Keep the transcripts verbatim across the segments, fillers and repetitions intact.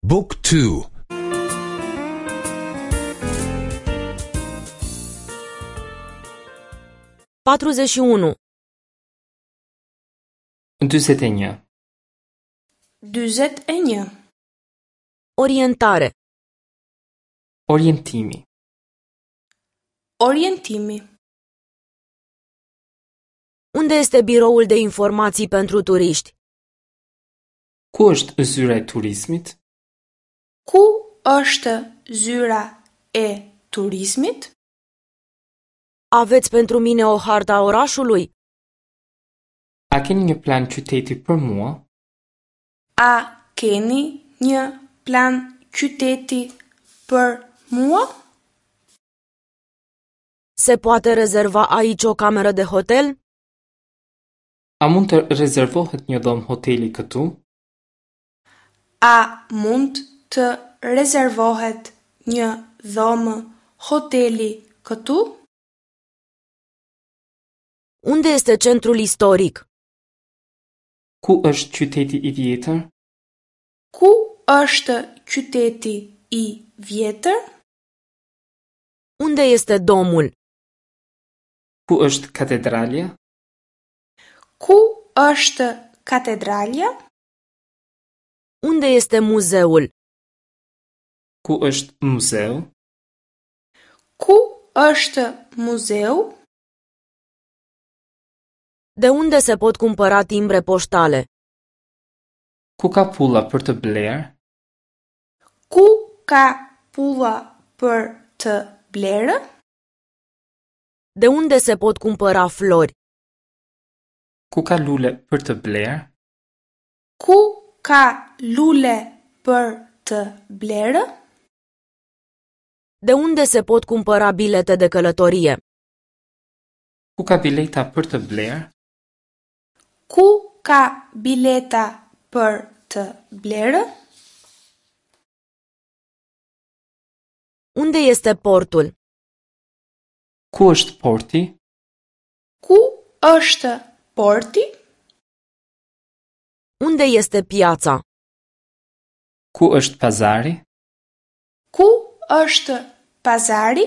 Book two. patruzeci și unu. dyzet e një. dyzet e një. Orientare. Orientimi. Orientimi. Unde este biroul de informații pentru turiști? Ku është zyra e turizmit? Ku është zyra e turizmit? Aveți pentru mine o hartă a orașului? A keni një plan qyteti për mua? A keni një plan qyteti për mua? Se poate rezerva aici o cameră de hotel? A mund të rezervohet një dhomë hoteli këtu? A mund të rezervohet një dhomë hoteli këtu? Unde este centrul istoric? Ku është qyteti i vjetër? Ku është qyteti i vjetër? Unde este domul? Ku është katedralja? Ku është katedralja? Unde este muzeul? Ku është muzeu? Ku është muzeu? De unde se pot cumpăra timbre poștale? Ku ka pulla për të blerë? Ku ka pulla për të blerë? De unde se pot cumpăra flori? Ku ka lule për të blerë? Ku ka lule për të blerë? De unde se pot cumpăra bilete de călătorie? Ku ka bileta për të blerë? Ku ka bileta për të blerë? Unde este portul? Ku është porti? Ku është porti? Unde este piața? Ku është pazari? Ku është pazari?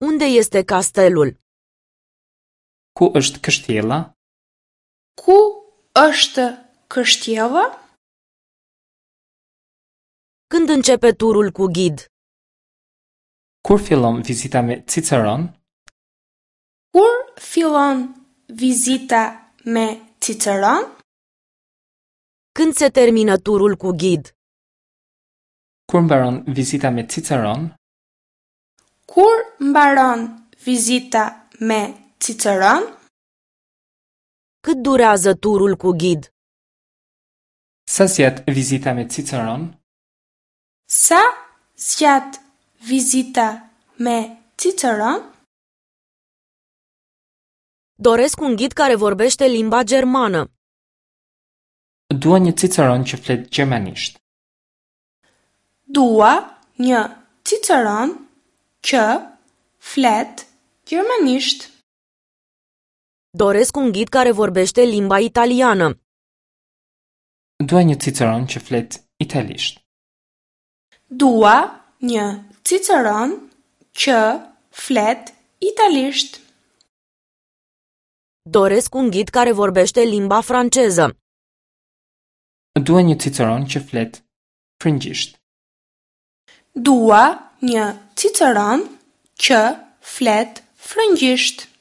Unde este castelul? Ku është kështjella? Ku është kështjella? Când începe turul cu ghid? Kur fillon vizita me Ciceron? Kur fillon vizita me Ciceron? Când se termină turul cu ghid? Kur mbaron vizita me Ciceron? Kur mbaron vizita me Ciceron? Cât durează turul cu ghid? Sa zgjat vizita me Ciceron? Sa zgjat vizita me Ciceron? Doresc un ghid care vorbește limba germană. Dua një Ciceron që flet gjermanisht. Dua një Ciceron që flet gjermanisht. Doresc un ghid care vorbește limba italiană. Dua një Ciceron që flet italisht. Dua një Ciceron që flet italisht. Doresc un ghid care vorbește limba franceză. Dua një Ciceron që flet frëngjisht. Dua një Ciceron që flet frëngjisht.